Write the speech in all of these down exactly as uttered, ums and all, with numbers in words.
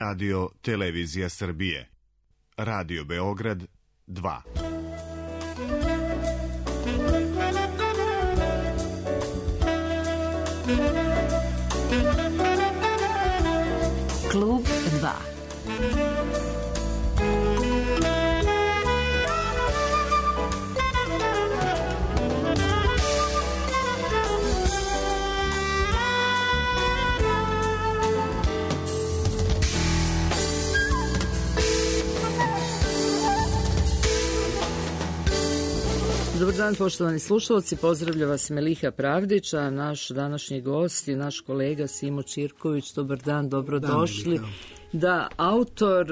Radio Televizija Srbije. Radio Beograd dva. Klub dva. Dobar dan, poštovani slušalci, pozdravlja vas Meliha Pravdić, a naš današnji gost je naš kolega Simo Čirković. Dobar dan, dobrodošli. Da, autor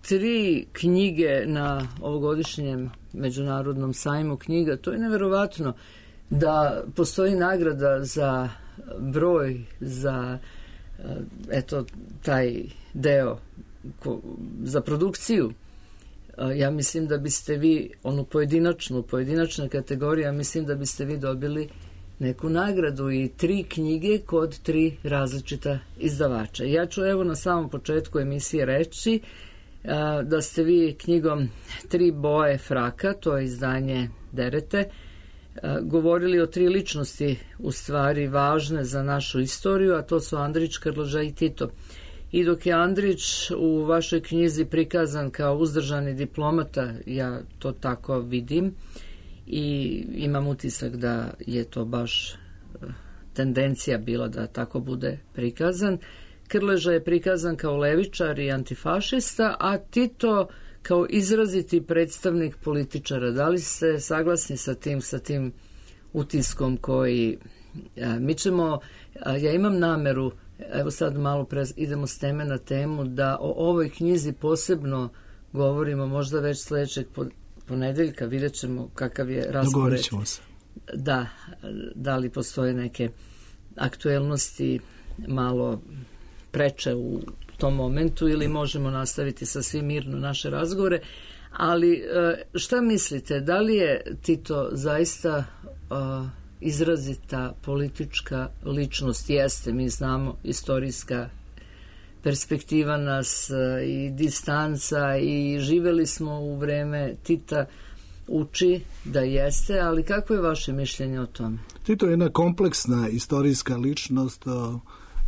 tri knjige na ovogodišnjem Međunarodnom sajmu knjiga. To je neverovatno da postoji nagrada za broj, za eto taj deo, za produkciju. Ja mislim da biste vi, onu pojedinačnu, pojedinačna kategorija, mislim da biste vi dobili neku nagradu i tri knjige kod tri različita izdavača. Ja ću evo na samom početku emisije reći da ste vi knjigom Tri boje fraka, to je izdanje Derete, govorili o tri ličnosti u stvari važne za našu istoriju, a to su Andrić, Krleža i Tito. I dok je Andrić u vašoj knjizi prikazan kao uzdržani diplomata, ja to tako vidim i imam utisak da je to baš tendencija bila da tako bude prikazan. Krleža je prikazan kao levičar i antifašista, a Tito kao izraziti predstavnik političara. Da li ste saglasni sa tim, sa tim utiskom koji mi ćemo, ja imam nameru, evo sad malo pre idemo s teme na temu, da o ovoj knjizi posebno govorimo možda već sledećeg ponedeljka, vidjet ćemo kakav je raspored. Dogovorit ćemo se. Da, da li postoje neke aktuelnosti malo preče u tom momentu ili možemo nastaviti sa svim mirno naše razgovore. Ali šta mislite, da li je Tito zaista uh, izrazita politička ličnost? Jeste, mi znamo, istorijska perspektiva nas i distanca i živeli smo u vreme Tita, uči da jeste, ali kako je vaše mišljenje o tome? Tito je jedna kompleksna istorijska ličnost,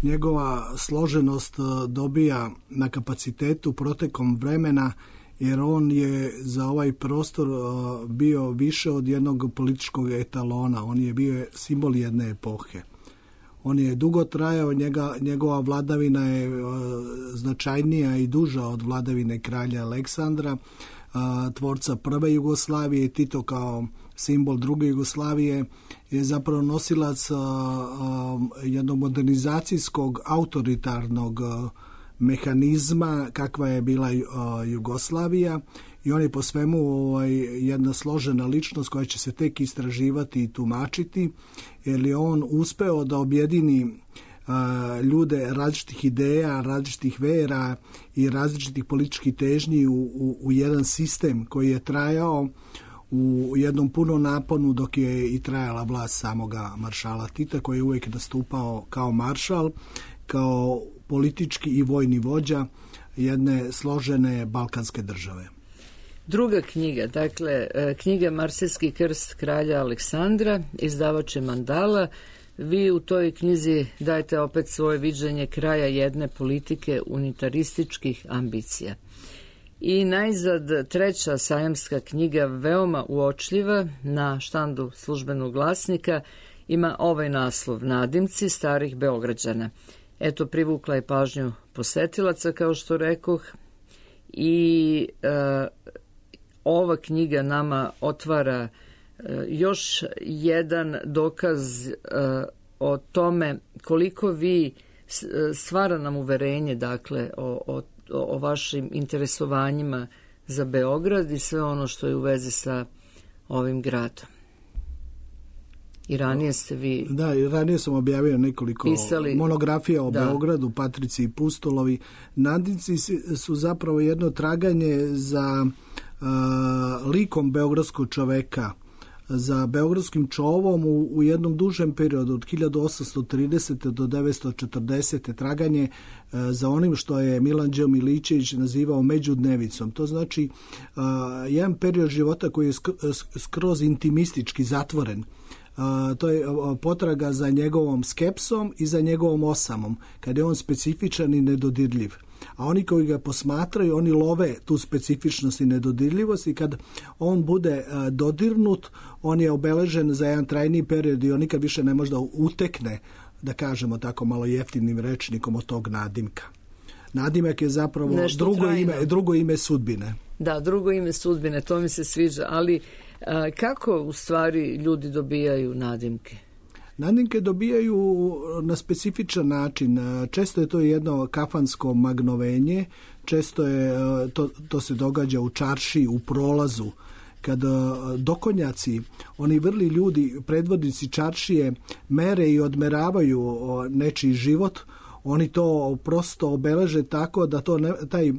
njegova složenost dobija na kapacitetu protekom vremena, jer on je za ovaj prostor bio više od jednog političkog etalona, on je bio simbol jedne epohe. On je dugo trajao, njega, njegova vladavina je značajnija i duža od vladavine kralja Aleksandra, tvorca prve Jugoslavije. Tito kao simbol druge Jugoslavije je zapravo nosilac jednog modernizacijskog, autoritarnog mehanizma kakva je bila Jugoslavija, i on je po svemu ovaj, jedna složena ličnost koja će se tek istraživati i tumačiti, jer je on uspeo da objedini a, ljude različitih ideja, različitih vera i različitih političkih težnji u, u, u jedan sistem koji je trajao u jednom punom naponu dok je i trajala vlast samoga maršala Tita, koji je uvijek nastupao kao maršal, kao politički i vojni vođa jedne složene balkanske države. Druga knjiga, dakle, knjiga Marsejski krst kralja Aleksandra, izdavač je Mandala. Vi u toj knjizi dajete opet svoje viđenje kraja jedne politike unitarističkih ambicija. I najzad treća sajamska knjiga, veoma uočljiva, na štandu Službenog glasnika, ima ovaj naslov: Nadimci starih Beograđana. Eto, privukla je pažnju posetilaca, kao što rekoh, i e, ova knjiga nama otvara e, još jedan dokaz e, o tome koliko vi stvara nam uverenje, dakle, o, o, o vašim interesovanjima za Beograd i sve ono što je u vezi sa ovim gradom. I ranije ste vi... Da, i ranije sam objavio nekoliko pisali, monografija o da. Beogradu, Patrici i Pustolovi. Nadimci su zapravo jedno traganje za uh, likom beogradskog čoveka, za beogradskim čovom u, u jednom dužem periodu od hiljadu osamsto tridesete do devetsto četrdesete traganje e, za onim što je Milanđeo Milićević nazivao međudnevicom. To znači a, jedan period života koji je skroz intimistički zatvoren. A, to je potraga za njegovom skepsom i za njegovom osamom, kad je on specifičan i nedodirljiv. A oni koji ga posmatraju, oni love tu specifičnost i nedodirljivost i kad on bude dodirnut, on je obeležen za jedan trajniji period i on nikad više ne može da utekne, da kažemo tako malo jeftinim rečnikom, od tog nadimka. Nadimak je zapravo drugo ime, drugo ime sudbine. Da, drugo ime sudbine, to mi se sviđa, ali a, kako u stvari ljudi dobijaju nadimke? Nadimke dobijaju na specifičan način. Često je to jedno kafansko magnovenje, često je, to, to se događa u čaršiji, u prolazu, kad dokonjaci, oni vrli ljudi, predvodnici čaršije, mere i odmeravaju nečiji život, oni to prosto obeleže tako da to, ne, taj,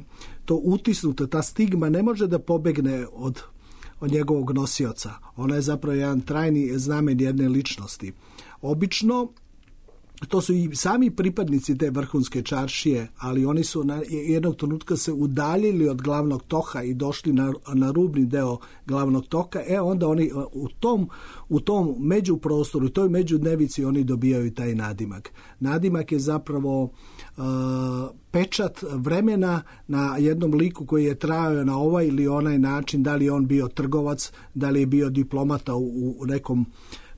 to utisnuto, ta stigma ne može da pobegne od, od njegovog nosioca. Ona je zapravo jedan trajni znamen jedne ličnosti. Obično, to su i sami pripadnici te vrhunske čaršije, ali oni su na jednog trenutka se udaljili od glavnog toka i došli na, na rubni deo glavnog toka, e onda oni u tom, u tom međuprostoru, u toj međudnevici oni dobijaju taj nadimak. Nadimak je zapravo uh, pečat vremena na jednom liku koji je trajao na ovaj ili onaj način, da li je on bio trgovac, da li je bio diplomata u, u nekom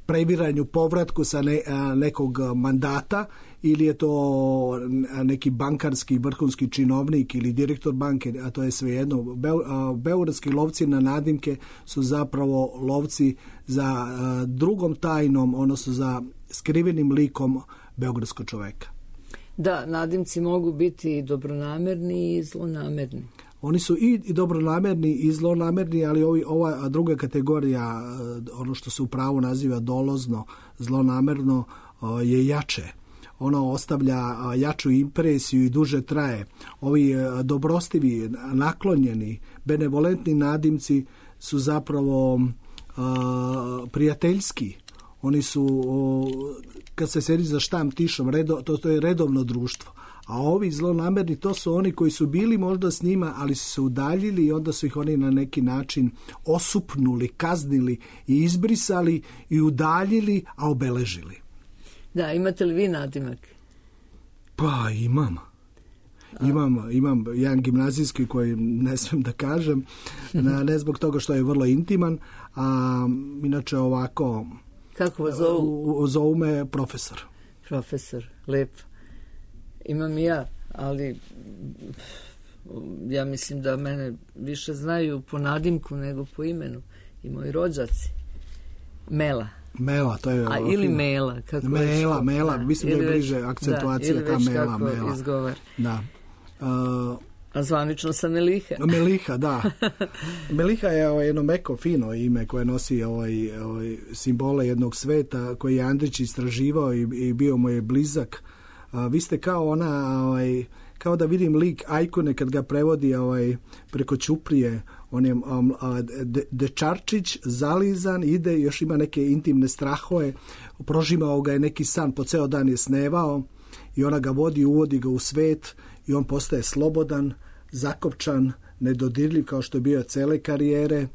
previranju, povratku sa ne, a, nekog mandata, ili je to neki bankarski vrhunski činovnik ili direktor banke, a to je svejedno. Be, a, beogradski lovci na nadimke su zapravo lovci za a, drugom tajnom, odnosno za skrivenim likom beogradskog čoveka. Da, nadimci mogu biti i dobronamerni i zlonamerni. Oni su i dobronamerni i zlonamerni, ali ovi, ova druga kategorija, ono što se u pravu naziva dolozno, zlonamerno, je jače. Ono ostavlja jaču impresiju i duže traje. Ovi dobrostivi, naklonjeni, benevolentni nadimci su zapravo a, prijateljski. Oni su, kad se sedi za štam tišom, redo, to, to je redovno društvo. A ovi zlonamerni, to su oni koji su bili možda s njima, ali su se udaljili i onda su ih oni na neki način osupnuli, kaznili i izbrisali i udaljili, a obeležili. Da, imate li vi nadimak? Pa imam. Imam, imam jedan gimnazijski koji ne smijem da kažem, ne zbog toga što je vrlo intiman, a inače ovako... Kako vas zovu? Zovu me profesor. Profesor, lepo. Imam i ja, ali ja mislim da mene više znaju po nadimku nego po imenu. I moji rođaci. Mela. Mela, to je... A ili Mela. Kako mela, već, Mela, da, mislim da je bliže akcentuacija da, ta Mela. Ili već kako Mela. izgovar. Da. Uh, A zvanično sam Meliha. Meliha, da. Meliha je ovaj, jedno meko, fino ime koje nosi ovaj, ovaj, simbole jednog sveta koji je Andrić istraživao i, i bio mu je blizak. A, vi ste kao ona, ovaj, kao da vidim lik Ajkone kad ga prevodi ovaj, preko Ćuprije, on je um, de, dečarčić, zalizan, ide, još ima neke intimne strahove, prožimao ga je neki san, po ceo dan je snevao i ona ga vodi, uvodi ga u svet i on postaje slobodan, zakopčan, nedodirljiv kao što je bio cele karijere.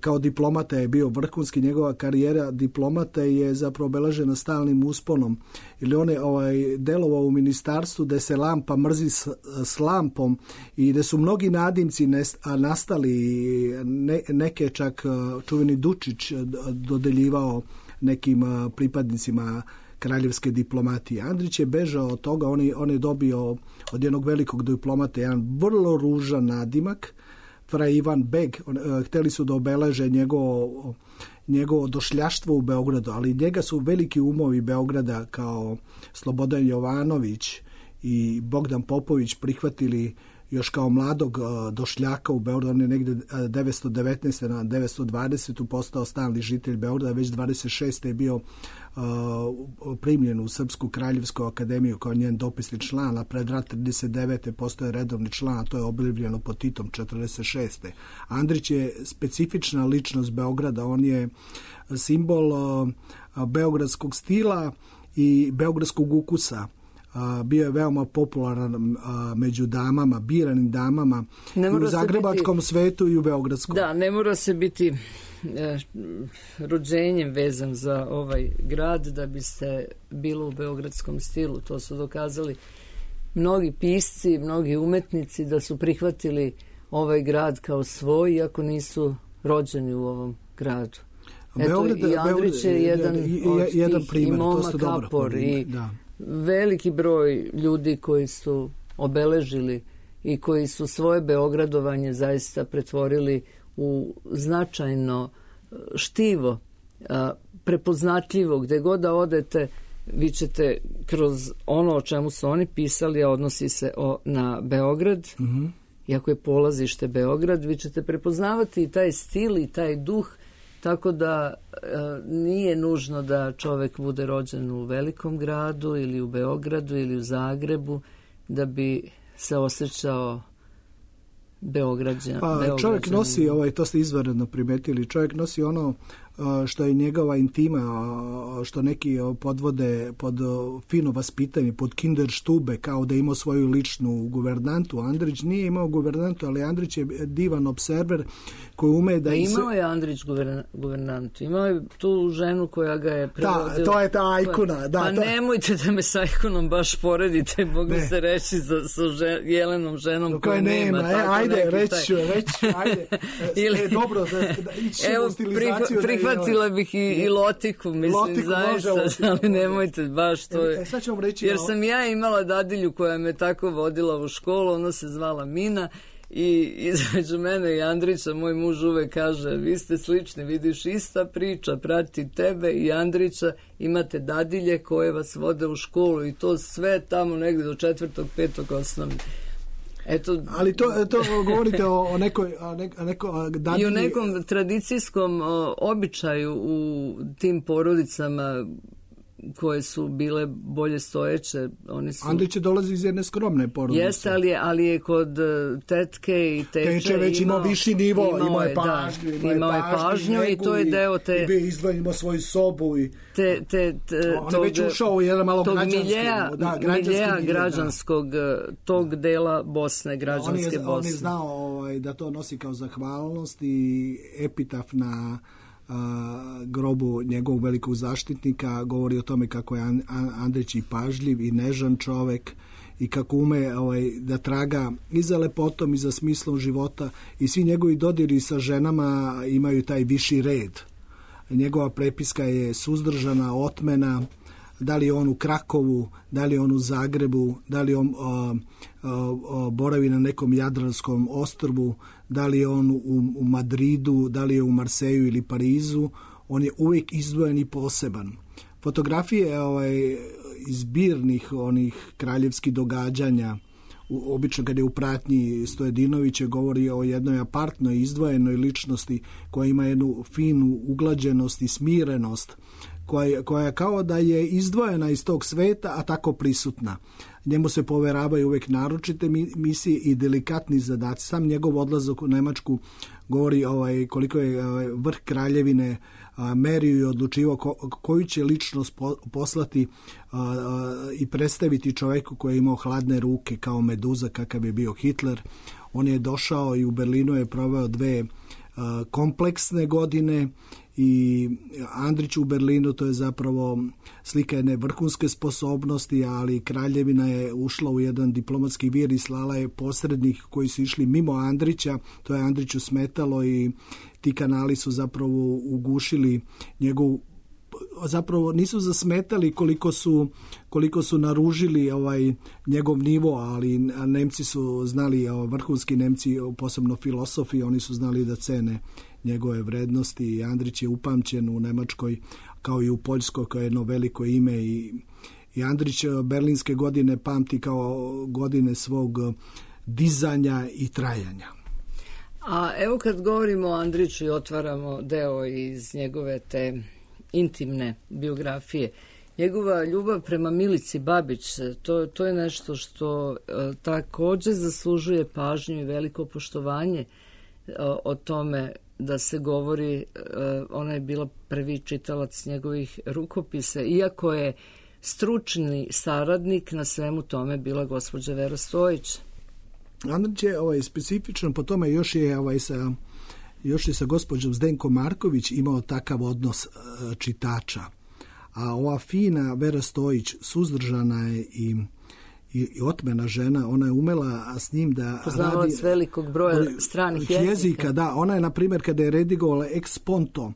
Kao diplomata je bio vrhunski, njegova karijera diplomata je zapravo obeležena stalnim usponom. Ili on je ovaj, delovao u ministarstvu gde se lampa mrzi s, s lampom i gde su mnogi nadimci nest, nastali, ne, neke čak čuveni Dučić dodeljivao nekim pripadnicima kraljevske diplomatije. Andrić je bežao od toga, on je, on je dobio od jednog velikog diplomata jedan vrlo ružan nadimak, Fra Ivan Beg. Hteli su da obeleže njegovo, njegovo došljaštvo u Beogradu, ali njega su veliki umovi Beograda kao Slobodan Jovanović i Bogdan Popović prihvatili još kao mladog došljaka u Beogradu, on je negde devetsto devetnaeste na devetsto dvadesetu postao stalni žitelj Beograda, već dvadeset šeste je bio uh, primljen u Srpsku kraljevsku akademiju kao njen dopisni član, a pred rat trideset devete postoje redovni član, a to je objavljeno pod Titom četrdeset šeste. Andrić je specifična ličnost Beograda, on je simbol uh, beogradskog stila i beogradskog ukusa. Bio je veoma popularan među damama, biranim damama i u zagrebačkom biti, svetu i u beogradskom. Da, ne mora se biti e, rođenjem vezan za ovaj grad da bi se bilo u beogradskom stilu. To su dokazali mnogi pisci, mnogi umetnici da su prihvatili ovaj grad kao svoj, iako nisu rođeni u ovom gradu. Eto, Beograd, i Andrić je jedan i, od jedan tih, primjer, i Moma Kapor, i da. Veliki broj ljudi koji su obeležili i koji su svoje beogradovanje zaista pretvorili u značajno štivo, prepoznatljivo. Gde god da odete, vi ćete kroz ono o čemu su oni pisali, a odnosi se o, na Beograd, mm-hmm. iako je polazište Beograd, vi ćete prepoznavati i taj stil i taj duh. Tako da e, nije nužno da čovek bude rođen u velikom gradu ili u Beogradu ili u Zagrebu da bi se osjećao Beograđan. Pa, čovjek nosi, ovaj, to ste izvanredno primetili, čovjek nosi ono što je njegova intima, što neki podvode pod fino vaspitanje, pod kinderstube, kao da je imao svoju ličnu guvernantu. Andrić nije imao guvernantu, ali Andrić je divan observer koji ume da... A imao je Andrić guverna, guvernantu, imao je tu ženu koja ga je prevodila. Da, to je ta ikona. Da, pa to... nemojte da me sa ikonom baš poredite, mogu ne. se reći za, sa žen, Jelenom ženom koja, koja nema. nema. E, ajde, reći ću, reći ću, ajde. Ili... E, dobro, da, da evo, stilizaciju. Prih, prihvatila bih i, i Lotiku, mislim, Lotiku, zaista, ali nemojte baš to. E, sad ću vam reći, jer sam ja imala dadilju koja me tako vodila u školu, ona se zvala Mina, i između mene i Andrića moj muž uvek kaže, vi ste slični, vidiš, ista priča prati tebe i Andrića, imate dadilje koje vas vode u školu i to sve tamo negdje do četvrtog, petog osnovne. Eto, ali to, to govorite o, o nekoj o neko, neko dadilji... i o nekom tradicijskom o, običaju u tim porodicama koje su bile bolje stojeće. Oni su... Andrić dolazi iz jedne skromne porodice. Jeste, ali je, ali je kod tetke i teče... Teče već imao viši nivo, imao, imao je pažnju, da, imao je pažnju, pažnju i to je deo te... I bio izdvojen, imao svoju sobu i... Te, te, te, on je već ušao u jedan malo građanski... Miljeja, da, miljeja građanskog, da. tog dela Bosne, građanske on je, Bosne. On je znao ovaj, da to nosi kao zahvalnost i epitaf na... A, grobu njegovog velikog zaštitnika govori o tome kako je Andrić i pažljiv i nežan čovek i kako ume ovaj, da traga i za lepotom i za smislom života i svi njegovi dodiri sa ženama imaju taj viši red. Njegova prepiska je suzdržana, otmena, da li je on u Krakovu, da li je on u Zagrebu, da li on o, o, o, boravi na nekom jadranskom ostrvu, da li je on u, u Madridu, da li je u Marseju ili Parizu, on je uvijek izdvojen i poseban. Fotografije ovaj, izbirnih onih kraljevskih događanja, u, obično kada je u pratnji Stojedinovića govori o jednoj apartnoj, izdvojenoj ličnosti koja ima jednu finu uglađenost i smirenost, koja, koja kao da je izdvojena iz tog sveta, a tako prisutna. Njemu se poveravaju uvijek naročite misije i delikatni zadaci. Sam njegov odlazak u Nemačku govori ovaj, koliko je ovaj, vrh kraljevine a, merio i odlučivao ko, koju će ličnost po, poslati a, a, i predstaviti čovjeku koji je imao hladne ruke kao meduza kakav je bio Hitler. On je došao i u Berlinu je proveo dve a, kompleksne godine i Andrić u Berlinu, to je zapravo slika jedne vrhunske sposobnosti, ali kraljevina je ušla u jedan diplomatski vir i slala je posrednih koji su išli mimo Andrića, to je Andriću smetalo i ti kanali su zapravo ugušili njegovu, zapravo nisu zasmetali koliko su, koliko su naružili ovaj njegov nivo, ali Nemci su znali, vrhunski Nemci, posebno filosofi, oni su znali da cene njegove vrednosti i Andrić je upamćen u Nemačkoj kao i u Poljskoj kao jedno veliko ime i, i Andrić berlinske godine pamti kao godine svog dizanja i trajanja. A evo kad govorimo o Andriću i otvaramo deo iz njegove te intimne biografije, njegova ljubav prema Milici Babić, to, to je nešto što e, također zaslužuje pažnju i veliko poštovanje e, o tome da se govori, e, ona je bila prvi čitalac njegovih rukopisa, iako je stručni saradnik na svemu tome bila gospođa Vera Stojić. Andrić je ovaj, specifičan po tome, još je ovaj, sa, još je sa gospođom Zdenko Marković imao takav odnos e, čitača. A ova fina Vera Stojić, suzdržana je i, i, i otmena žena, ona je umela s njim da poznavalac radi velikog broja stranih jezika. jezika. Da, ona je, na primjer, kada je redigovala Ex Ponto,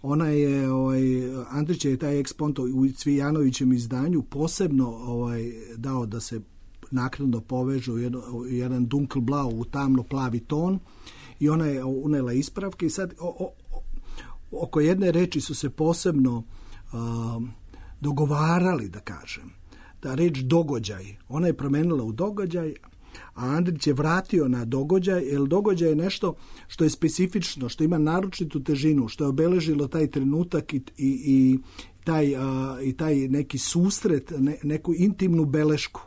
ona je, ovaj, Andrić je taj Ex Ponto u Cvijanovićem izdanju posebno ovaj, dao da se naknadno povežu u jedan, jedan dunkelblau, u tamno plavi ton, i ona je unela ispravke i sad o, o, oko jedne reči su se posebno uh, dogovarali, da kažem, da reč događaj, ona je promenila u događaj, a Andrić je vratio na događaj, jer događaj je nešto što je specifično, što ima naročitu težinu, što je obeležilo taj trenutak i, i, i, taj, uh, i taj neki susret, ne, neku intimnu belešku.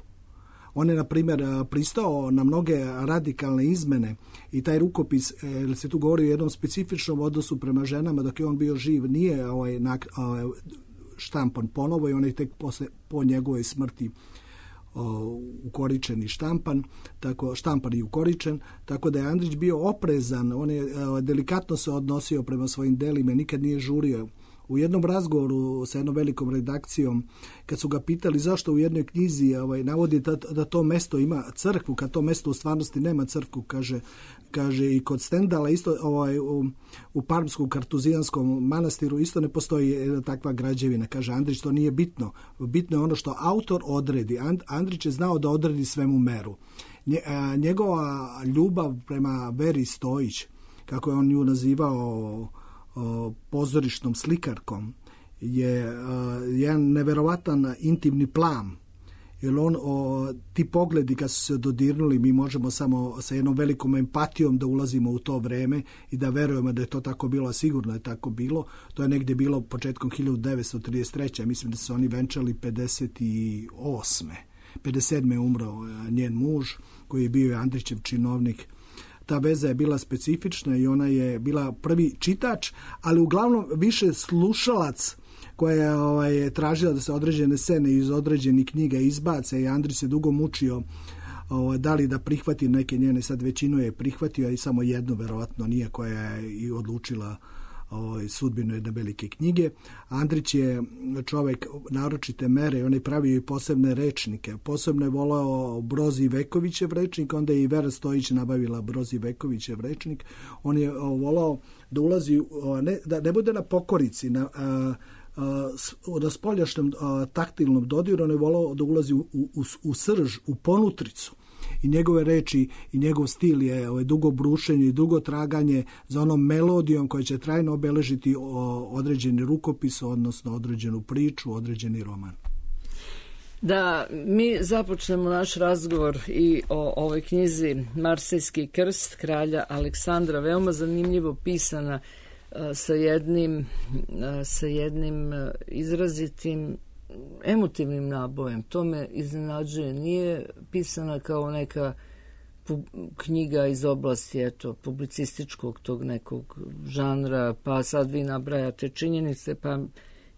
On je, na primjer, pristao na mnoge radikalne izmene i taj rukopis, jer se tu govori o jednom specifičnom odnosu prema ženama, dok je on bio živ, nije ovaj, ovaj, štampan ponovo i on je tek posle, po njegovoj smrti o, ukoričen i štampan, tako, štampan i ukoričen, tako da je Andrić bio oprezan, on je o, delikatno se odnosio prema svojim delima, nikad nije žurio. U jednom razgovoru sa jednom velikom redakcijom, kad su ga pitali zašto u jednoj knjizi ovaj, navodi da, da to mesto ima crkvu, kad to mesto u stvarnosti nema crkvu, kaže, kaže i kod Stendala, isto ovaj, u, u Parmskom kartuzijanskom manastiru isto ne postoji jedna takva građevina. Kaže Andrić, to nije bitno. Bitno je ono što autor odredi. And, Andrić je znao da odredi svemu meru. Nje, a, njegova ljubav prema Veri Stojić, kako je on nju nazivao, O, pozorišnom slikarkom, je uh, jedan neverovatan intimni plan, jer on, o, ti pogledi kad su se dodirnuli, mi možemo samo sa jednom velikom empatijom da ulazimo u to vreme i da verujemo da je to tako bilo, a sigurno je tako bilo. To je negdje bilo početkom hiljadu devetsto trideset treće. Mislim da su oni venčali pedeset osme. pedeset sedme je umro njen muž, koji je bio Andrićev činovnik. Ta veza je bila specifična i ona je bila prvi čitač, ali uglavnom više slušalac koja je ovaj, tražila da se određene scene iz određenih knjiga izbace i Andrić se dugo mučio ovaj, da li da prihvati neke njene, sad većinu je prihvatio i samo jednu verovatno nije, koja je i odlučila ovaj, sudbinu jedne velike knjige. Andrić je čovjek naročite mere, on je pravio i posebne rečnike. Posebno je volao Brozi Vekovićev rečnik, onda je i Vera Stojić nabavila Brozi Vekovićev rečnik. On je volao da ulazi, ne, da ne bude na pokorici, na, a, a, na spoljašnjem a, taktilnom dodiru, on je volao da ulazi u, u, u srž, u ponutricu. I njegove reči i njegov stil je ovaj, dugo brušenje i dugo traganje za onom melodijom koja će trajno obeležiti o, određeni rukopis, odnosno određenu priču, određeni roman. Da mi započnemo naš razgovor i o ovoj knjizi Marsejski krst kralja Aleksandra, veoma zanimljivo pisana, sa jednim, sa jednim izrazitim emotivnim nabojem. To me iznenađuje. Nije pisana kao neka pu- knjiga iz oblasti eto, publicističkog tog nekog žanra, pa sad vi nabrajate činjenice, pa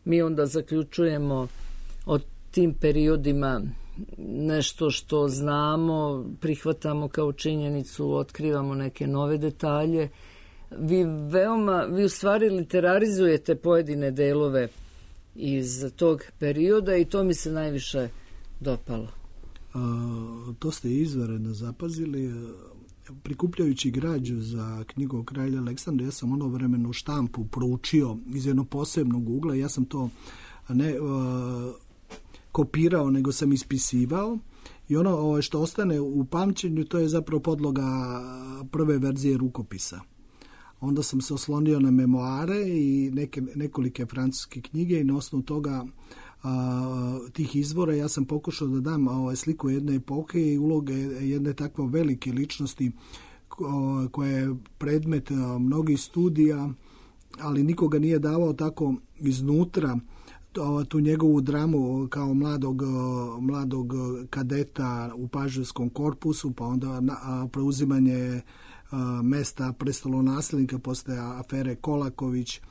mi onda zaključujemo o tim periodima nešto što znamo, prihvatamo kao činjenicu, otkrivamo neke nove detalje. Vi veoma, vi u stvari literarizujete pojedine delove iz tog perioda i to mi se najviše dopalo. A, to ste izvanredno zapazili. Prikupljajući građu za knjigu o kralju Aleksandra, ja sam ono vremenu štampu proučio iz jednog posebnog ugla. Ja sam to ne a, kopirao, nego sam ispisivao. I ono što ostane u pamćenju, to je zapravo podloga prve verzije rukopisa. Onda sam se oslonio na memoare i neke, nekolike francuske knjige i na osnovu toga a, tih izvora. Ja sam pokušao da dam ovaj, sliku jedne epohe i uloge jedne takve velike ličnosti ko, koja je predmet a, mnogih studija, ali nikoga nije davao tako iznutra tu njegovu dramu kao mladog, mladog kadeta u paževskom korpusu, pa onda na, preuzimanje a, mesta prestolonaslednika posle afere Kolaković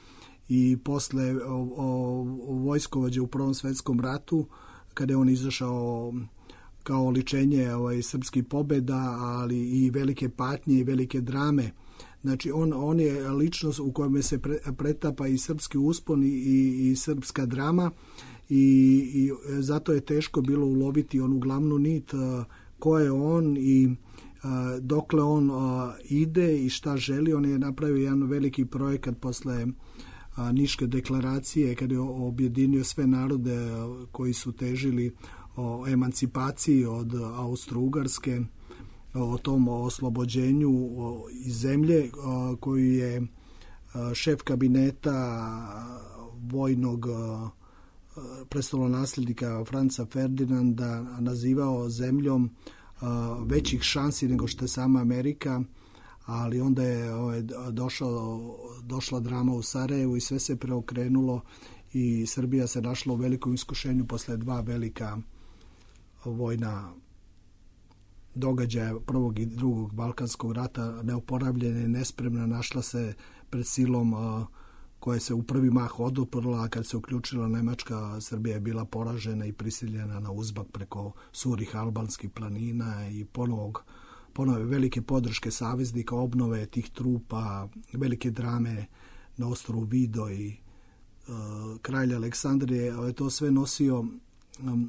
i posle o, o, vojskovođe u Prvom svetskom ratu, kada je on izašao kao oličenje ovaj, srpskih pobjeda, ali i velike patnje i velike drame. Znači, on, on je ličnost u kojem se pre, pretapa i srpski uspon i, i, i srpska drama i, i zato je teško bilo uloviti onu glavnu nit a, ko je on i a, dokle on a, ide i šta želi. On je napravio jedan veliki projekat posle a, Niške deklaracije, kada je objedinio sve narode a, koji su težili o emancipaciji od Austro-Ugarske, o tom oslobođenju iz zemlje, koju je šef kabineta vojnog prestolonaslednika Franca Ferdinanda nazivao zemljom većih šansi nego što je sama Amerika, ali onda je došao, došla drama u Sarajevu i sve se preokrenulo i Srbija se našla u velikom iskušenju posle dva velika vojna događaja prvog i drugog Balkanskog rata, neoporavljena i nespremna, našla se pred silom a, koja se u prvi mah oduprla, a kad se uključila Nemačka, Srbija je bila poražena i prisiljena na uzbak preko surih albanskih planina i ponovog, ponove velike podrške saveznika, obnove tih trupa, velike drame na ostrvu Vido i a, kralj Aleksandar je to sve nosio a,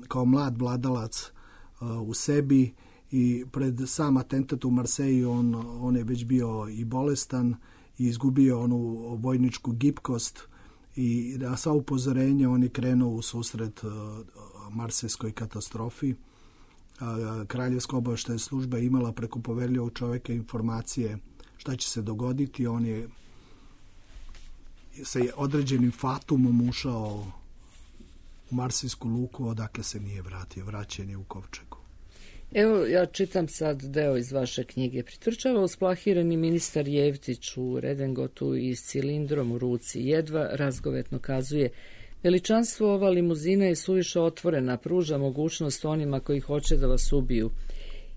kao mlad vladalac a, u sebi. I pred sam atentat u Marseju on, on je već bio i bolestan i izgubio onu vojničku gibkost i na sva upozorenja on je krenuo u susret uh, marsejskoj katastrofi. Uh, Kraljevska obaveštajna služba imala preko poverljivog čoveka informacije šta će se dogoditi. On je sa određenim fatumom ušao u marsejsku luku, odakle se nije vratio. Vraćen je u kovčegu. Evo, ja čitam sad deo iz vaše knjige. Pritrčava usplahirani ministar Jevtić u redengotu i s cilindrom u ruci. Jedva razgovetno kazuje: veličanstvo, ova limuzina je suviše otvorena, pruža mogućnost onima koji hoće da vas ubiju.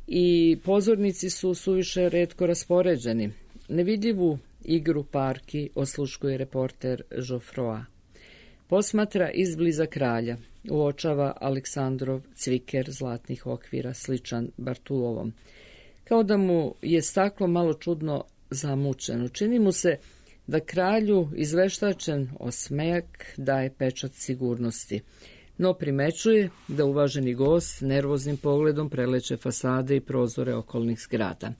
I pozornici su suviše retko raspoređeni. Nevidljivu igru parki osluškuje reporter Joffroa. Posmatra izbliza kralja. Uočava Aleksandrov cviker zlatnih okvira, sličan Bartulovom. Kao da mu je staklo malo čudno zamučeno. Čini mu se da kralju izveštačen osmejak daje pečat sigurnosti. No primećuje da uvaženi gost nervoznim pogledom preleće fasade i prozore okolnih zgrada.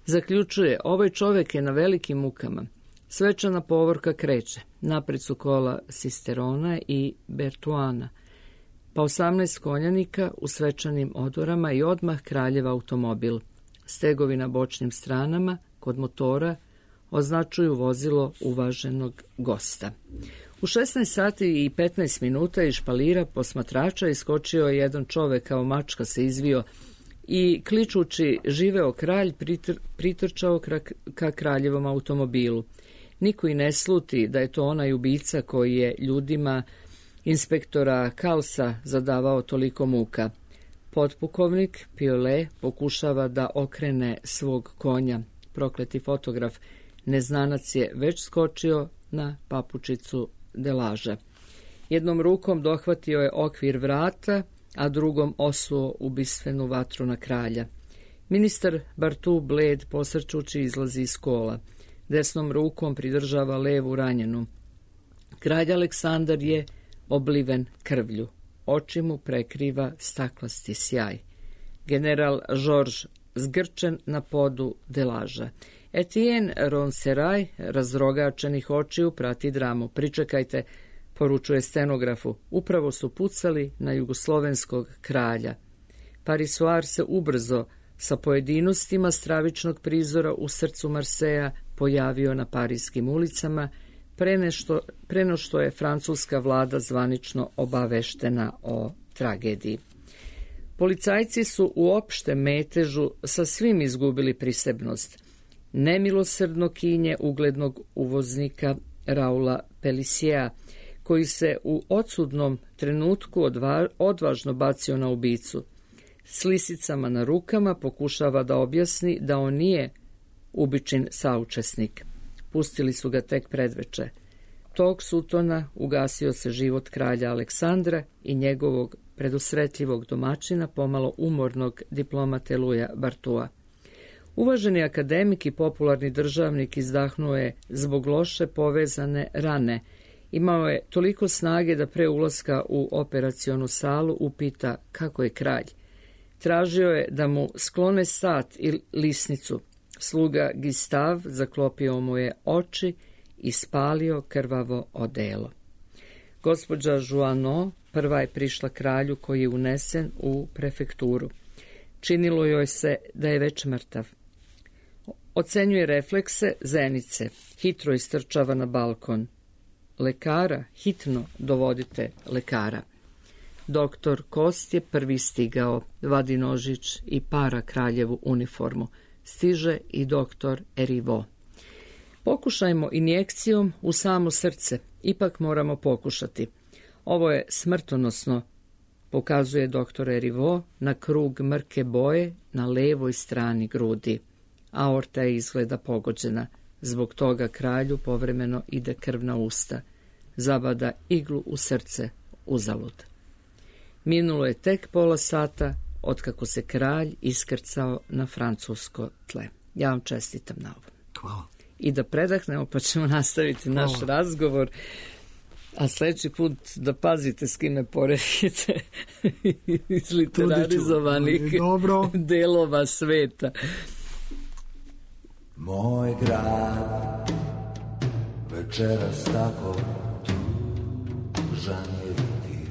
Zaključuje: ovaj čovek je na velikim mukama. Svečana povorka kreće. Napred su kola Sisterona i Bertuana, pa osamnaest konjanika u svečanim odorama i odmah kraljev automobil. Stegovi na bočnim stranama, kod motora, označuju vozilo uvaženog gosta. U šesnaest sati i petnaest minuta iz špalira posmatrača iskočio je jedan čovek, kao mačka se izvio i kličući živeo kralj pritr, pritrčao ka kraljevom automobilu. Niko i ne sluti da je to onaj ubica koji je ljudima inspektora Kalsa zadavao toliko muka. Potpukovnik Piole pokušava da okrene svog konja. Prokleti fotograf, neznanac je već skočio na papučicu Delaža. Jednom rukom dohvatio je okvir vrata, a drugom osuo ubistvenu vatru na kralja. Ministar Bartu bled posrčući izlazi iz kola. Desnom rukom pridržava levu ranjenu. Kralj Aleksandar je obliven krvlju. Oči mu prekriva staklasti sjaj. General Georges zgrčen na podu Delaža. Etienne Ronseraj, razrogačenih očiju, prati dramu. Pričekajte, poručuje stenografu. Upravo su pucali na jugoslovenskog kralja. Parisoar se ubrzo sa pojedinostima stravičnog prizora u srcu Marseja pojavio na parijskim ulicama, pre nešto, pre no što je francuska vlada zvanično obaveštena o tragediji. Policajci su u opštem metežu sa svim izgubili prisebnost. Nemilosrdno kinje uglednog uvoznika Raula Peliciea, koji se u odsudnom trenutku odva, odvažno bacio na ubicu. S lisicama na rukama pokušava da objasni da on nije ubičin saučesnik. Pustili su ga tek predveče. Tog sutona ugasio se život kralja Aleksandra i njegovog predusretljivog domaćina, pomalo umornog diplomate Luja Bartua. Uvaženi akademik i popularni državnik izdahnuo je zbog loše povezane rane. Imao je toliko snage da pre ulaska u operacionu salu upita kako je kralj. Tražio je da mu sklone sat i lisnicu. Sluga Gistav zaklopio mu je oči i spalio krvavo odelo. Gospođa Joanneau prva je prišla kralju koji je unesen u prefekturu. Činilo joj se da je već mrtav. Ocenjuje reflekse zenice, hitro istrčava na balkon. Lekara, hitno dovodite lekara. Doktor Kost je prvi stigao, vadi nožić i para kraljevu uniformu. Stiže i doktor Erivo. Pokušajmo injekcijom u samo srce, ipak moramo pokušati. Ovo je smrtonosno, pokazuje doktor Erivo na krug mrke boje na levoj strani grudi. Aorta je izgleda pogođena, zbog toga kralju povremeno ide krv na usta. Zabada iglu u srce, uzalud. Minulo je tek pola sata otkako se kralj iskrcao na francusko tle. Ja vam čestitam na ovo. Hvala. I da predahnemo pa ćemo nastaviti Hvala. naš razgovor. A sljedeći put da pazite s kime poredite iz literarizovanih delova sveta. Moj grad večeras tako tužan je tih.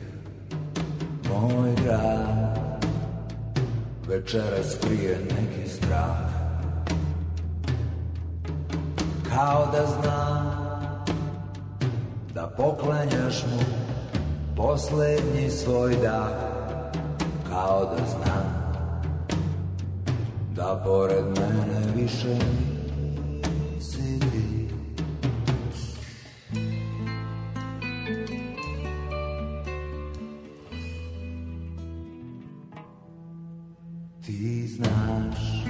Moj grad večeras krije neki strah. Kao da znam da poklanjaš mu posljednji svoj dah. Kao da znam da pored mene više nisi ti. Ti znaš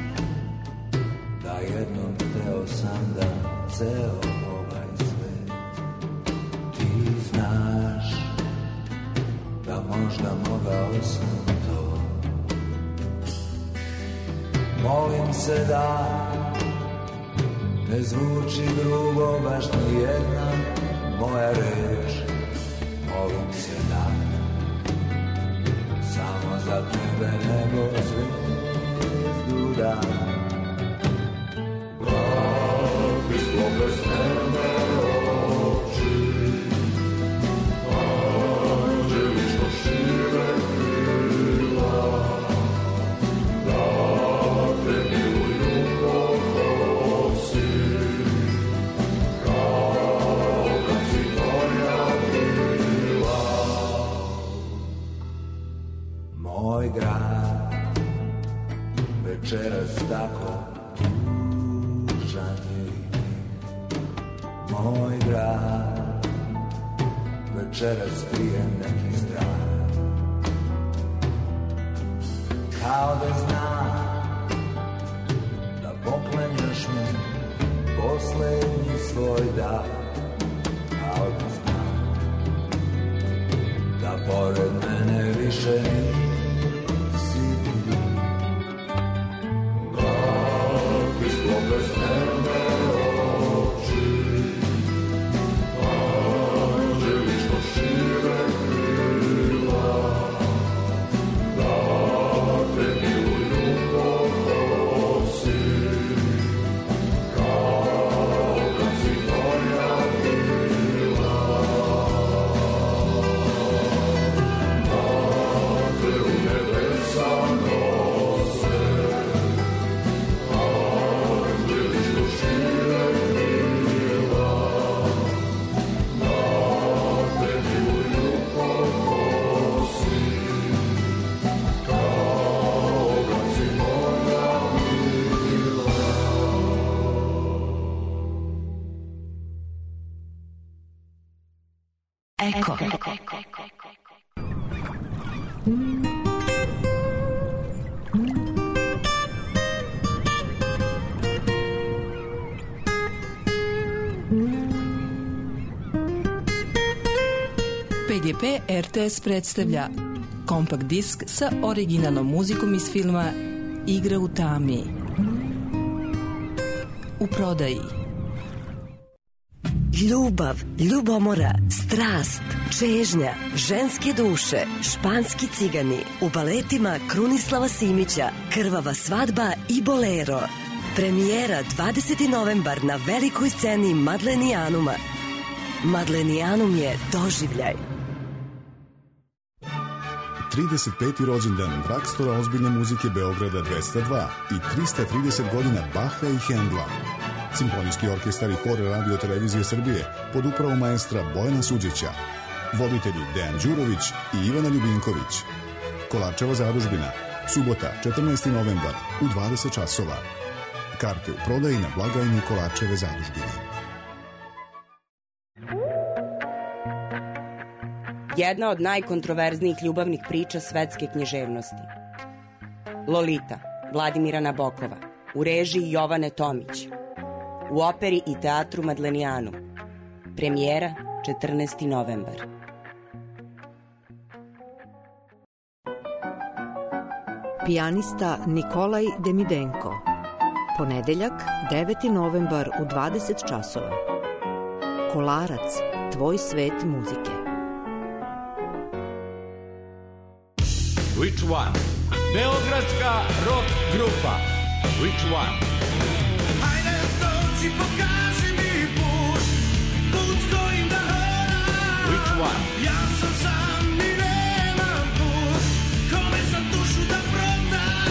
da jednom hteo sam da ceo ovaj svet. Ti znaš da možda mogao sam to. Molim se da ne zvuči grubo baš ni jedna moja reč. Molim se da samo za tebe nego zvezdu dam. Vrati svoje sneme oči, anđelično šire krila, da te miluju pokosi, kao kad si moja bila. Moj grad večeras tako tužan je i ti. Moj grad večeras krije neki strah. Kao da znam da poklanjaš mu posljednji svoj dah. Kao da znam da pored mene više nisi ti. Vrati svoje sneme oči, anđelično šire krila, da te miluju pokosi, kao kad si moja bila. Vrati Eko. P G P R T S predstavlja kompakt disk sa originalnom muzikom iz filma Igra u tami. U prodaji. Ljubav, ljubomora, strast, čežnja, ženske duše, španski cigani, u baletima Krunislava Simića, Krvava svadba i Bolero. Premijera dvadeseti novembar na velikoj sceni Madlenijanuma. Madlenijanum je doživljaj. trideset peti rođendan Drakstora ozbiljne muzike Beograda dvesta dva i trista trideset godina Baha i Hendla. Simfonijski orkestar i hor Radio Televizije Srbije pod upravom maestra Bojana Suđeća. Voditelji Dejan Đurović i Ivana Ljubinković. Kolarčeva zadužbina. Subota, četrnaesti novembar u dvadeset časova. Karte u prodaji na blagajni Kolarčeve zadužbine. Jedna od najkontroverznijih ljubavnih priča svetske književnosti. Lolita, Vladimira Nabokova, u režiji Jovane Tomić. U operi i teatru Madlenijanum. Premijera četrnaesti novembar. Pijanista Nikolaj Demidenko. Ponedeljak, deveti novembar u dvadeset časova. Kolarac, tvoj svet muzike. Which one? Beogradska rock grupa. Which one? Hajde dođi, pokaži mi put, put kojim da hodam. Which one? Ja sam sam i nemam put, kome sam dušu da prodam.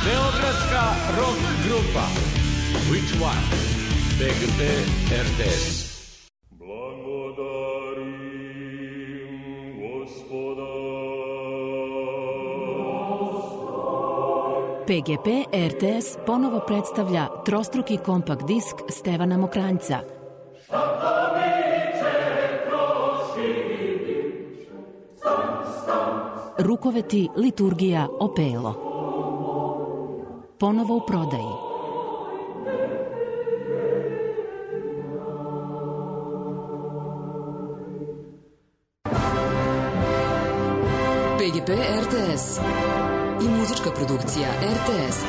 Beogradska rock grupa. Which one? P G P R T S. P G P R T S ponovo predstavlja trostruki kompakt disk Stevana Mokranjca. Rukoveti, liturgija, opelo. Ponovo u prodaji. P G P R T S i muzička produkcija R T S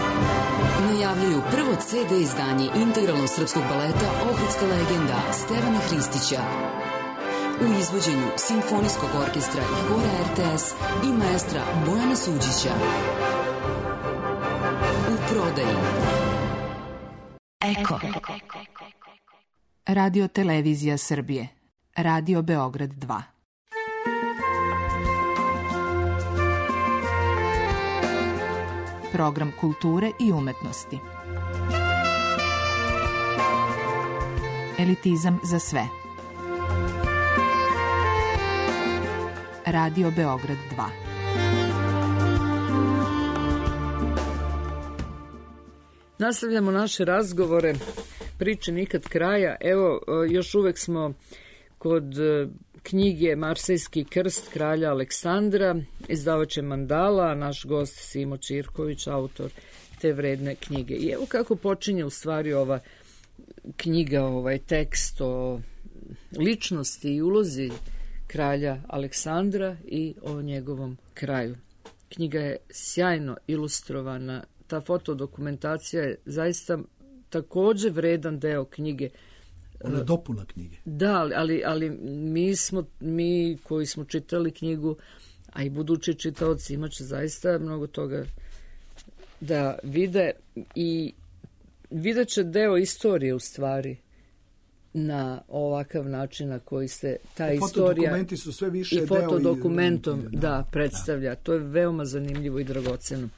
najavljuju prvo C D izdanje integralnog srpskog baleta Ohridska legenda Stevana Hristića u izvođenju Simfonijskog orkestra i hora R T S i maestra Bojana Suđića. U prodaji. Eko. Radio Televizija Srbije. Radio Beograd dva. Program kulture i umetnosti. Elitizam za sve. Radio Beograd dva. Nastavljamo naše razgovore, priče nikad kraja. Evo, još uvek smo kod knjige Marsejski krst kralja Aleksandra, izdavač je Mandala, a naš gost Simo Čirković, autor te vredne knjige. I evo kako počinje u stvari ova knjiga, ovaj tekst o ličnosti i ulozi kralja Aleksandra i o njegovom kraju. Knjiga je sjajno ilustrovana, ta fotodokumentacija je zaista takođe vredan deo knjige. Ona je dopuna knjige. Da, ali, ali mi smo, mi koji smo čitali knjigu, a i budući čitaoci imat će zaista mnogo toga da vide i vidjet će deo istorije u stvari na ovakav način na koji se ta I istorija fotodokumenti su sve više i fotodokumentom deo i, da, da predstavlja. Da. To je veoma zanimljivo i dragoceno.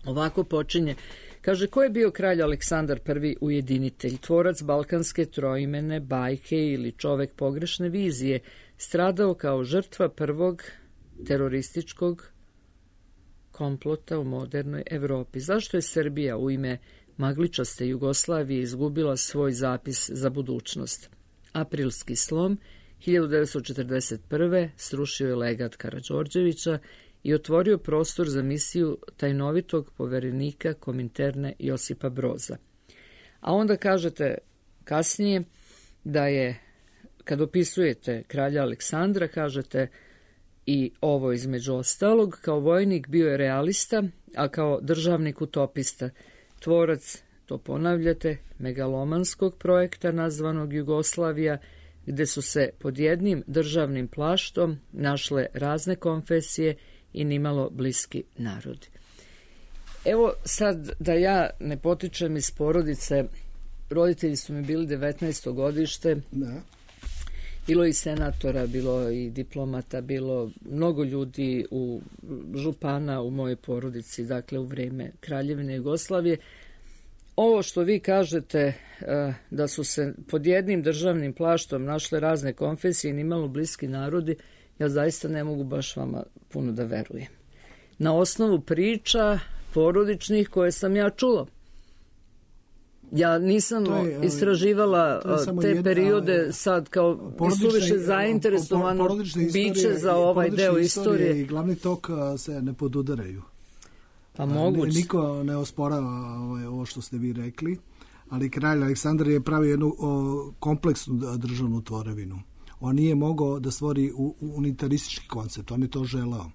Ovako počinje. Kaže, ko je bio kralj Aleksandar prvi ujedinitelj, tvorac balkanske troimene, bajke ili čovek pogrešne vizije, stradao kao žrtva prvog terorističkog komplota u modernoj Evropi. Zašto je Srbija u ime magličaste Jugoslavije izgubila svoj zapis za budućnost? Aprilski slom hiljadu devetsto četrdeset prve. srušio je legat Karađorđevića i otvorio prostor za misiju tajnovitog poverenika Kominterne Josipa Broza. A onda kažete kasnije da je, kad opisujete kralja Aleksandra, kažete i ovo između ostalog, kao vojnik bio je realista, a kao državnik utopista, tvorac, to ponavljate, megalomanskog projekta nazvanog Jugoslavija, gde su se pod jednim državnim plaštom našle razne konfesije i nimalo bliski narodi. Evo sad da ja ne potičem iz porodice, roditelji su mi bili devetnaesto godište, da. Bilo i senatora, bilo i diplomata, bilo mnogo ljudi, u župana u mojoj porodici, dakle u vreme Kraljevine Jugoslavije. Ovo što vi kažete, da su se pod jednim državnim plaštom našle razne konfesije i nimalo bliski narodi, ja zaista ne mogu baš vama puno da verujem. Na osnovu priča porodičnih koje sam ja čula. Ja nisam je, istraživala te jedna, periode sad kao suviše zainteresovan biće za ovaj deo istorije. I glavni tok se ne podudaraju. Pa moguće. Niko ne osporava ovo što ste vi rekli, ali kralj Aleksandar je pravio jednu kompleksnu državnu tvorevinu. On nije mogao da stvori unitaristički koncept, on je to želeo.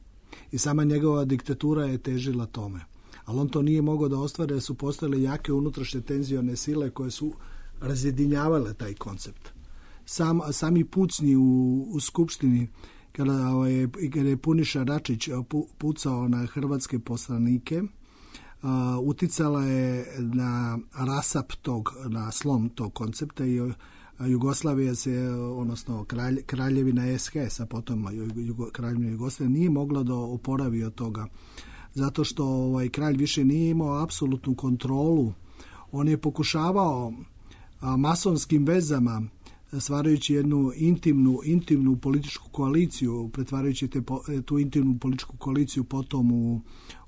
I sama njegova diktatura je težila tome. Ali on to nije mogao da ostvare, su postojale jake unutrašnje tenzione sile koje su razjedinjavale taj koncept. Sam, sami pucnji u, u Skupštini, kada je, kada je Puniša Račić pucao na hrvatske poslanike, uh, uticala je na rasap tog, na slom tog koncepta i Jugoslavija se, odnosno kralj, kraljevina S H S, a potom Jugo, kraljevina Jugoslavija nije mogla da oporavi od toga. Zato što ovaj kralj više nije imao apsolutnu kontrolu. On je pokušavao a, masonskim vezama, stvarajući jednu intimnu, intimnu političku koaliciju, pretvarajući te, tu intimnu političku koaliciju potom u,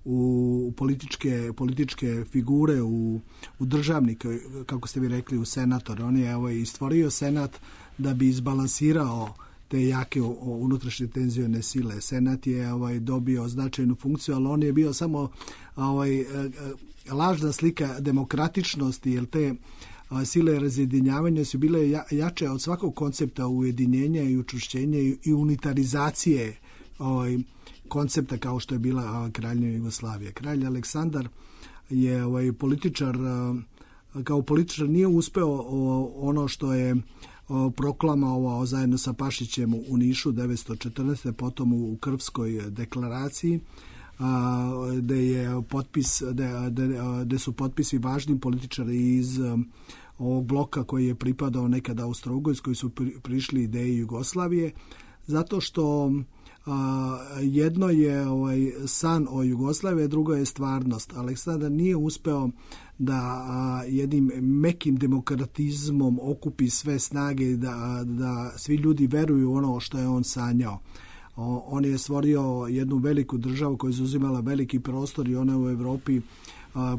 u političke, političke figure, u, u državnike, kako ste vi rekli, u senator. On je ovaj, stvorio senat da bi izbalansirao te jake unutrašnje tenzione sile. Senat je ovaj, dobio značajnu funkciju, ali on je bio samo ovaj, lažna slika demokratičnosti, jer te sile razjedinjavanja su bile jače od svakog koncepta ujedinjenja i učvršćenja i unitarizacije ovaj, koncepta kao što je bila kraljevina Jugoslavija. Kralj Aleksandar je ovaj, političar, kao političar nije uspeo ono što je proklamovao zajedno sa Pašićem u Nišu devetsto četrnaeste. potom u Krfskoj deklaraciji, gde je potpis, gde su potpisi važni političari iz ovog bloka koji je pripadao nekada Austro-Ugarskoj, koji su prišli ideji Jugoslavije, zato što jedno je ovaj san o Jugoslaviji, drugo je stvarnost. Aleksandar nije uspeo da jednim mekim demokratizmom okupi sve snage, da, da svi ljudi veruju ono što je on sanjao. On je stvorio jednu veliku državu koja je zauzimala veliki prostor i ona je u Evropi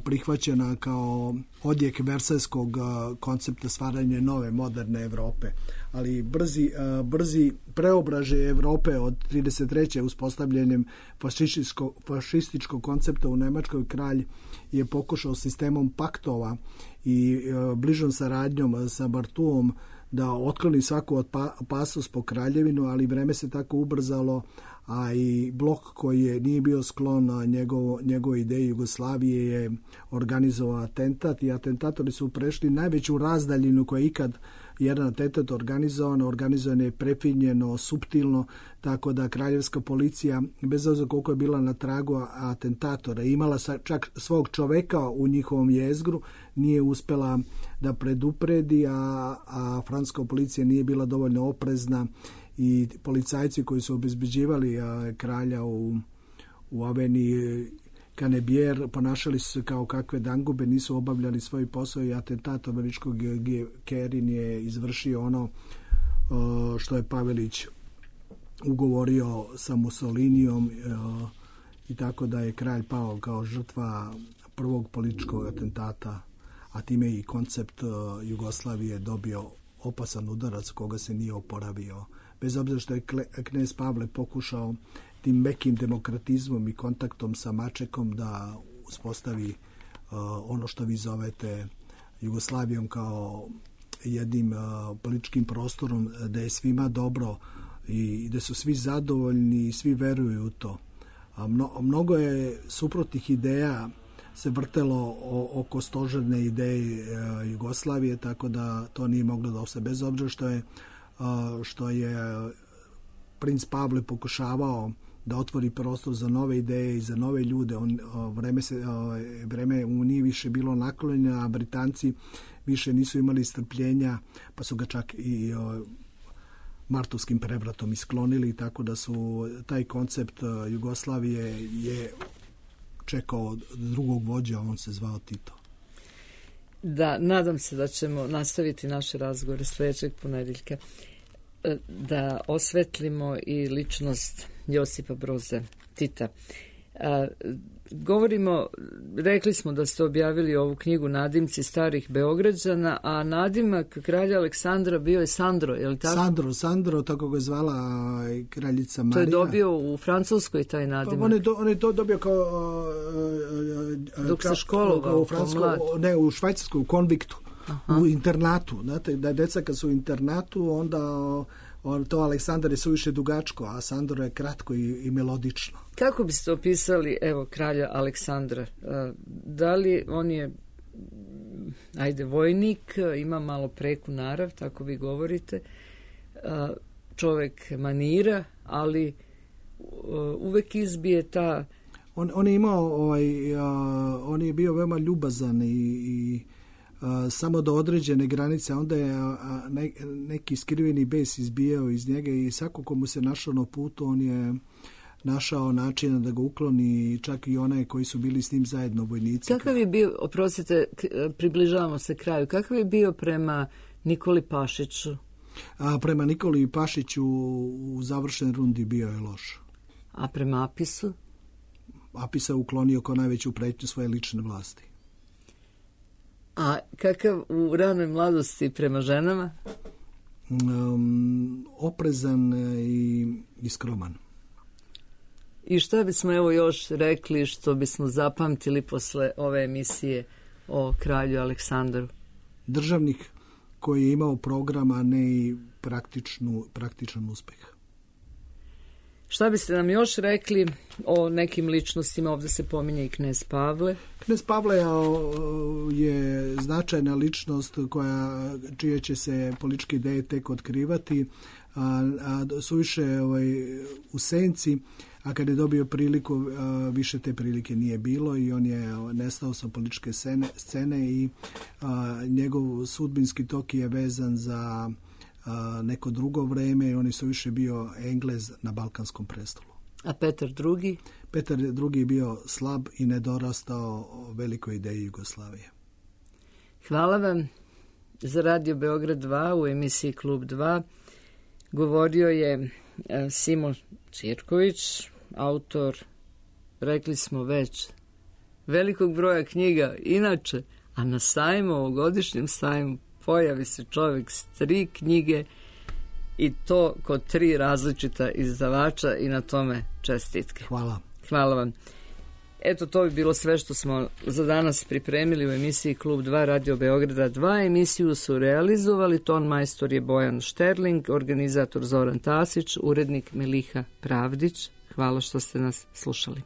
prihvaćena kao odjek versajskog koncepta stvaranja nove moderne Evrope. Ali brzi, brzi preobraže Evrope od trideset treće uspostavljanjem fašističko, fašističkog koncepta u Nemačkoj, kralj je pokušao sistemom paktova i bližom saradnjom sa Bartuom da otkloni svaku opasnost po kraljevinu, ali vreme se tako ubrzalo, a i blok koji je nije bio sklon njegovo, njegove ideje Jugoslavije je organizovao atentat i atentatori su prešli najveću razdaljinu koja je ikad jedan atentat organizovan, organizovan je prefinjeno, suptilno, tako da kraljevska policija, bez obzira koliko je bila na tragu atentatora, imala čak svog čoveka u njihovom jezgru, nije uspela da predupredi, a, a francuska policija nije bila dovoljno oprezna i policajci koji su obezbeđivali a, kralja u, u Aveniji Canebier ponašali su se kao kakve dangube, nisu obavljali svoj posao i atentat američkog Kerin je izvršio ono a, što je Pavelić ugovorio sa Mussolinijom a, i tako da je kralj pao kao žrtva prvog političkog atentata, a time i koncept a, Jugoslavije dobio opasan udarac koga se nije oporavio bez obzira što je knez Pavle pokušao tim mekim demokratizmom i kontaktom sa Mačekom da uspostavi uh, ono što vi zovete Jugoslavijom kao jednim uh, političkim prostorom da je svima dobro i da su svi zadovoljni i svi veruju u to. A mno, mnogo je suprotnih ideja se vrtelo o, oko stožerne ideje uh, Jugoslavije, tako da to nije moglo da ostane. Bez obzira što je, uh, što je princ Pavle pokušavao da otvori prostor za nove ideje i za nove ljude. On, o, vreme, se, o, vreme u nije više bilo naklonjeno, a Britanci više nisu imali strpljenja, pa su ga čak i o, martovskim prevratom isklonili, tako da su taj koncept o, Jugoslavije je čekao drugog vođa, on se zvao Tito. Da, nadam se da ćemo nastaviti naše razgovore sljedećeg ponedjeljka, da osvetlimo i ličnost Josipa Broza Tita. A, govorimo, rekli smo da ste objavili ovu knjigu Nadimci starih Beograđana, a nadimak kralja Aleksandra bio je Sandro, je li tako? Sandro, Sandro, tako ga je zvala kraljica Marija. To je dobio u Francuskoj taj nadimak. Pa on, je do, on je to dobio kao... Uh, Dok se školovao, u Francuskoj, ne, u Švajcarskoj, u konviktu. Aha. U internatu. Znate, da je deca kad su u internatu, onda on, to Aleksandar je suviše dugačko, a Sandro je kratko i, i melodično. Kako biste opisali, evo, kralja Aleksandra? Da li on je, ajde, vojnik, ima malo preku narav, tako vi govorite, čovek manira, ali uvek izbije ta... On, on je imao, ovaj, uh, on je bio veoma ljubazan i, i uh, samo do određene granice, onda je uh, ne, neki skriveni bes izbijao iz njega i svako komu se našao na putu, on je našao načina da ga ukloni, čak i onaj koji su bili s njim zajedno vojnici. Kakav je bio, oprostite, približavamo se kraju, kakav je bio prema Nikoli Pašiću? A prema Nikoli Pašiću u završenoj rundi bio je loš. A prema Apisu? Apisa je uklonio kao najveću pretnju svoje lične vlasti. A kakav u ranoj mladosti prema ženama? Um, oprezan i, i skroman. I šta bismo evo još rekli što bismo zapamtili posle ove emisije o kralju Aleksandru? Državnik koji je imao program, a ne i praktičnu, praktičan uspeh. Šta biste nam još rekli o nekim ličnostima? Ovdje se pominje i knez Pavle. Knez Pavle je značajna ličnost koja, čije će se političke ideje tek otkrivati, a, a suviše ovaj, u senci, a kad je dobio priliku, a, više te prilike nije bilo i on je nestao sa političke scene, scene i a, njegov sudbinski tok je vezan za neko drugo vreme i on je su više bio Englez na Balkanskom prestolu. A Petar drugi? Petar drugi je bio slab i nedorastao velikoj ideji Jugoslavije. Hvala vam. Za Radio Beograd dva u emisiji Klub dva govorio je Simo Čirković, autor, rekli smo već, velikog broja knjiga. Inače, a na sajmu, ovogodišnjem sajmu, pojavi se čovjek s tri knjige i to kod tri različita izdavača i na tome čestitke. Hvala. Hvala vam. Eto, to bi bilo sve što smo za danas pripremili u emisiji Klub dva Radio Beograda dva. Emisiju su realizovali, ton majstor je Bojan Šterling, organizator Zoran Tasić, urednik Miliha Pravdić. Hvala što ste nas slušali.